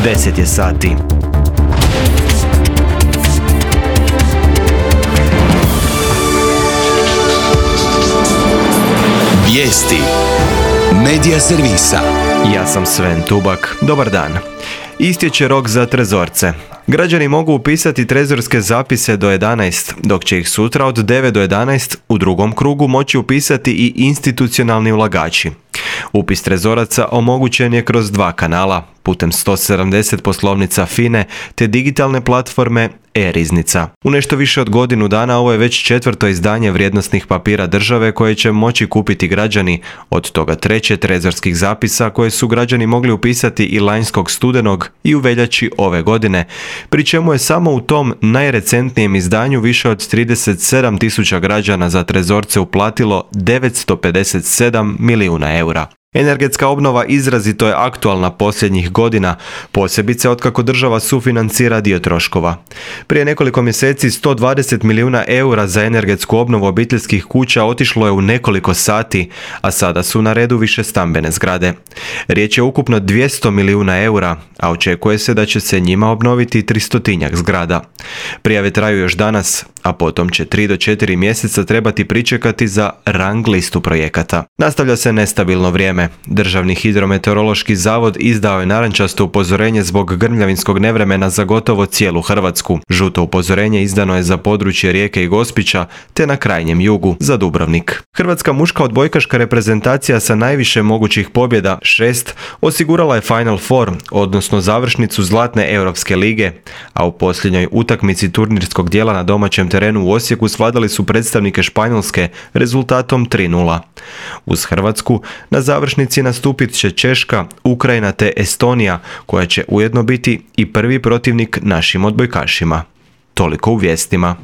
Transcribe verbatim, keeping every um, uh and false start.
deset je sati. Vijesti Medija servisa. Ja sam Sven Tubak. Dobar dan. Istječe rok za trezorce. Građani mogu upisati trezorske zapise do jedanaest, dok će ih sutra od devet do jedanaest u drugom krugu moći upisati i institucionalni ulagači. Upis trezoraca omogućen je kroz dva kanala, putem sto sedamdeset poslovnica F I N E te digitalne platforme e-riznica. U nešto više od godinu dana ovo je već četvrto izdanje vrijednosnih papira države koje će moći kupiti građani, od toga treće trezorskih zapisa koje su građani mogli upisati i lanjskog studenog i u veljači ove godine, pri čemu je samo u tom najrecentnijem izdanju više od trideset sedam tisuća građana za trezorce uplatilo devetsto pedeset sedam milijuna eura. Energetska obnova izrazito je aktualna posljednjih godina, posebice otkako država sufinancira dio troškova. Prije nekoliko mjeseci sto dvadeset milijuna eura za energetsku obnovu obiteljskih kuća otišlo je u nekoliko sati, a sada su na redu više stambene zgrade. Riječ je ukupno dvjesto milijuna eura, a očekuje se da će se njima obnoviti tristotinjak zgrada. Prijave traju još danas, a potom će tri do četiri mjeseca trebati pričekati za rang listu projekata. Nastavlja se nestabilno vrijeme. Državni hidrometeorološki zavod izdao je narančasto upozorenje zbog grmljavinskog nevremena za gotovo cijelu Hrvatsku. Žuto upozorenje izdano je za područje Rijeke i Gospića, te na krajnjem jugu za Dubrovnik. Hrvatska muška odbojkaška reprezentacija sa najviše mogućih pobjeda, šest, osigurala je Final Four, odnosno završnicu Zlatne Europske lige, a u posljednjoj utakmici turnirskog dijela na domaćem terenu u Osijeku svladali su predstavnike Španjolske rezultatom tri nula. Uz Hrvatsku na završnici nastupit će Češka, Ukrajina te Estonija, koja će ujedno biti i prvi protivnik našim odbojkašima. Toliko u vijestima.